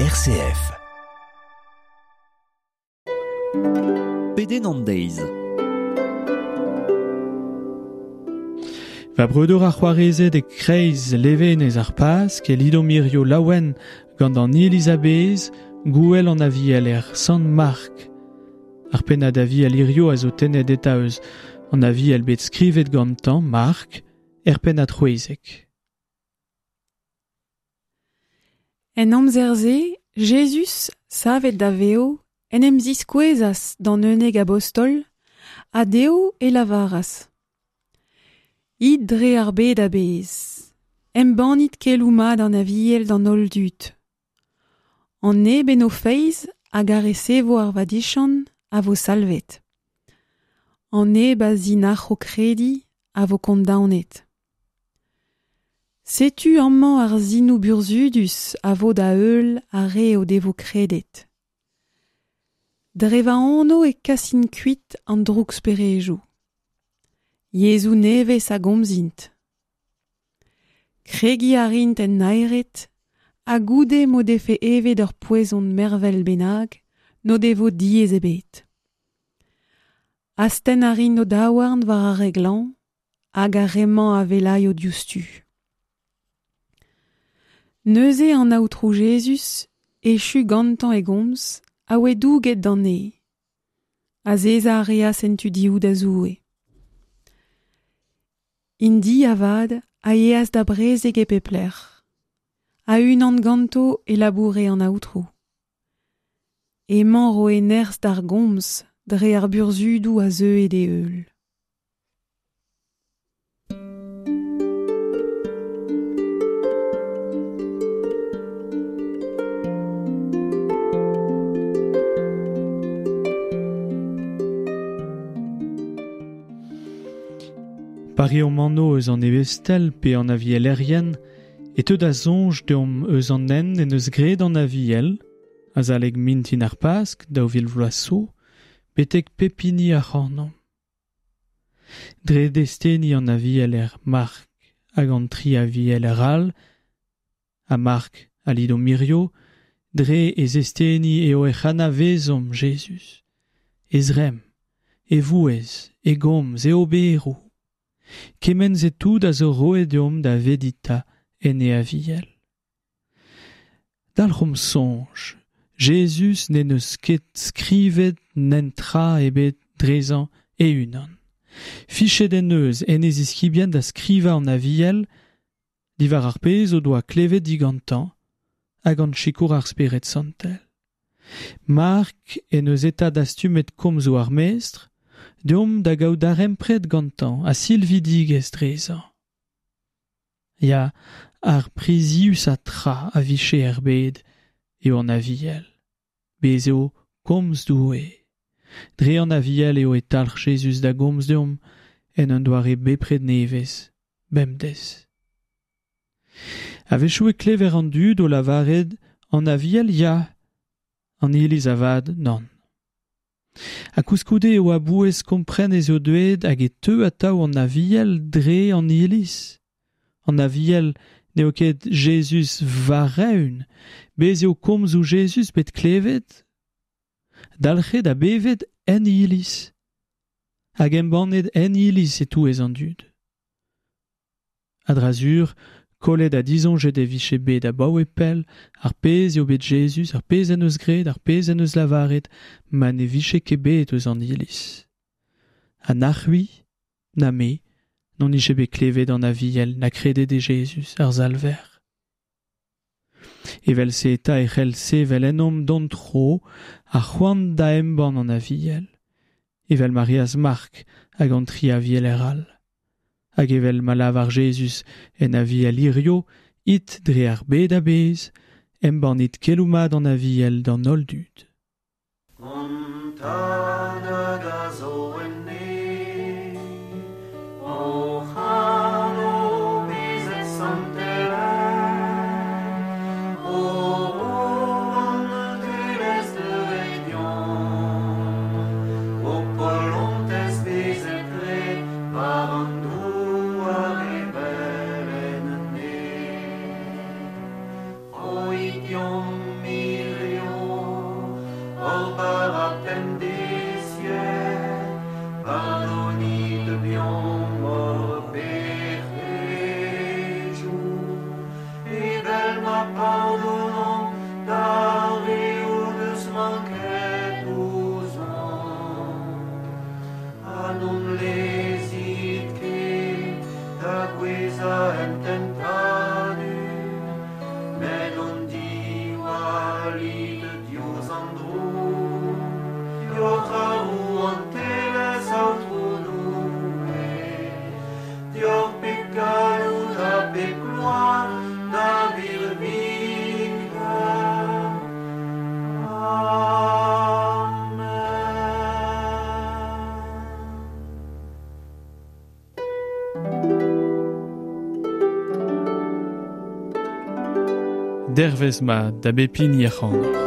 RCF. Pedenn an deiz. Va breudeur ar c'hoarezed e kreiz levenez ar Pask e lidomp hirio laouen gant an iliz a-bezh gouel an aviel er Sant-Mark. Ar pennad aviel hirio a zo tennet eta eus an aviel bet skrivet gantañ, Mark, er pennad c'hwezek. En amzer-se, Jezuz, savet da vev, en em ziskouezas d'an unnek abostol, ha dezho e lavaras: It dre ar bed a-bezh, embannit keloù mat an Aviel d'an holl dud. An neb en o feiz hag a resevo ar vadiziant a vo salvet. An neb a zinac'ho krediñ a vo kondaonet. Setu amañ ar sinoù burzhudus a vo da heul ar re o devo kredet. Dre va anv e kasin kuit an drouksperejoù. Yezhoù nevez a gomzint. Kregiñ a rint en naered ha goude m'o defe evet ur poezon mervel bennak n'o devo diaes ebet. Astenn a rint o daouarn war ar re glañv hag ar re-mañ a wellaio diouzhtu. Neuze an Aotrou Jezuz, echu gantañ e gomz, a oe douget d'an neñv. Azezañ a reas en tu dehou da Zoue. Int-i avat a yeas da brezeg e pep lec'h. A-unan ganto e laboure an Aotrou. Emañ 'roe nerzh d'ar gomz dre ar burzhudoù a zeue d'e heul. Pa reomp anv eus an ebestel pe an avielerien e teu da soñj deomp eus an hent en deus graet an Aviel, azalek mintin ar Pask 2000 vloaz zo, betek pep hini ac'hanomp. Dre desteni an avieler Mark hag an tri avieler all, ha Mark a lidomp hirio, dre e zesteni eo ec'h anavezomp Jezuz, e zremm, e vouezh, e gomz, e oberoù. Kement-se tout a zo roet deomp da veditañ en e aviel. Dalc'homp soñj, Jezuz n'en deus ket skrivet netra ebet drezañ e-unan. Fichet en deus en e ziskibien da skrivañ an Aviel diwar ar pezh o doa klevet digantañ ha gant sikour ar Spered Santel. Mark en deus eta dastumet komzoù ar Mestr, deomp da gaout darempred gantañ ha silvidigezh drezañ. Ya, ar priziusañ tra a vije er bed eo an Aviel. Bez' eo komz Doue. Dre an Aviel eo e talc'h Jezuz da gomz deomp en un doare bepred nevez, bemdez. A-wechoù e klever an dud o lavaret an Aviel ya, an Iliz avat nann. Ha koulskoude eo a-bouez kompren ez eo deuet hag e teu atav an Aviel dre an Iliz. An Aviel n'eo ket Jezuz war-eeun, bez' eo komzoù Jezuz bet klevet, dalc'het ha bevet en Iliz, hag embannet en Iliz e-touez an dud. A-dra-sur, kollet ha disoñjet e vije bet abaoe pell ar pezh eo bet Jezuz, ar pezh en deus graet, ar pezh en deus lavaret, ma ne vije ket bet eus an Iliz. Ha na c'hwi, na me, n'hon ije bet klevet an Aviel na kredet e Jezuz, ar Salver. Evel-se eta e c'hell sevel ennomp d'hon tro ar c'hoant da embann an Aviel, evel ma reas Mark hag an tri avieler all. Hag evel ma lavar Jezuz en Aviel hirio, it dre ar bed a-bezh, embannit keloù mat an Aviel d'an holl dud. An Tad hag a zo en neñv, hoc'h anv bezet santelaet, ho rouantelezh deuet deomp, ho polontez bezet graet war an douar evel en neñv. Roit deomp bara pemdeziek, pardonit deomp hor pec'hedoù, evel ma pardonomp d'ar re o deus manket ouzhomp. Ha n'hon lezit ket da gouezhañ en tentadur, met hon diwallit diouzh an droug, deoc'h ar rouantelezh, Aotrou Doue, deoc'h pep galloud ha pep gloar da birviken. Amen. Dervezh mat da bep hini ac'hanoc'h.